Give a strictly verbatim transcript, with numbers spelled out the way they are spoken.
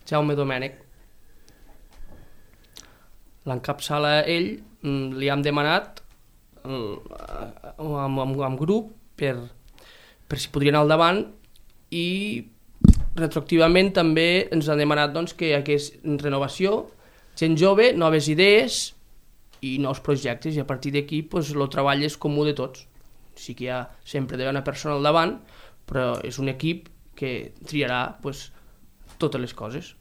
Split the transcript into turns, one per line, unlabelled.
Jaume Domènech. L'encapçala ell, li hem demanat amb, amb, amb grup per, per si podria anar al davant i retroactivament també ens han demanat doncs, que hi hagués renovació, gent jove, noves idees i nous projectes, i a partir d'aquí pues, el treball és comú de tots. Sí que hi ha sempre d'haver una persona al davant, però és un equip que triarà pues, totes les coses.